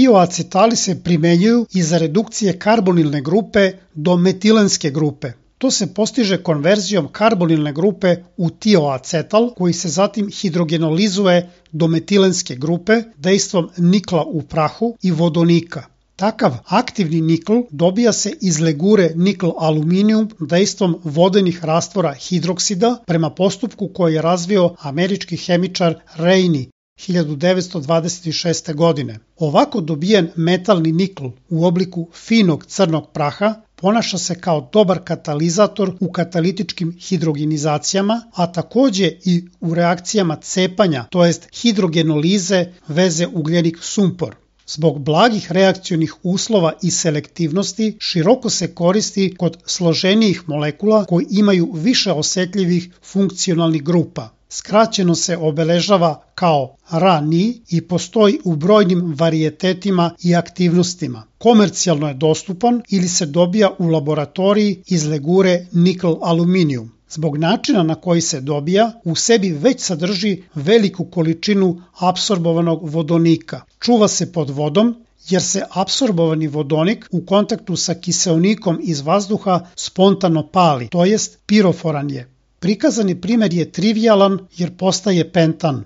Tioacetali se primenjuju i za redukcije karbonilne grupe do metilenske grupe. To se postiže konverzijom karbonilne grupe u tioacetal, koji se zatim hidrogenolizuje do metilenske grupe dejstvom nikla u prahu i vodonika. Takav aktivni nikl dobija se iz legure nikl-aluminijum dejstvom vodenih rastvora hidroksida prema postupku koji je razvio američki hemičar Rainey 1926. godine. Ovako dobijen metalni nikl u obliku finog crnog praha ponaša se kao dobar katalizator u katalitičkim hidrogenizacijama, a takođe i u reakcijama cepanja, to jest hidrogenolize veze ugljenik-sumpor. Zbog blagih reakcionih uslova i selektivnosti široko se koristi kod složenijih molekula koji imaju više osetljivih funkcionalnih grupa. Skraćeno se obeležava kao Ra-Ni i postoji u brojnim varijetetima i aktivnostima. Komercijalno je dostupan ili se dobija u laboratoriji iz legure nikl-aluminijum. Zbog načina na koji se dobija, u sebi već sadrži veliku količinu apsorbovanog vodonika. Čuva se pod vodom jer se apsorbovani vodonik u kontaktu sa kiseonikom iz vazduha spontano pali, to jest piroforan je. Prikazani primer je trivijalan jer postaje pentan.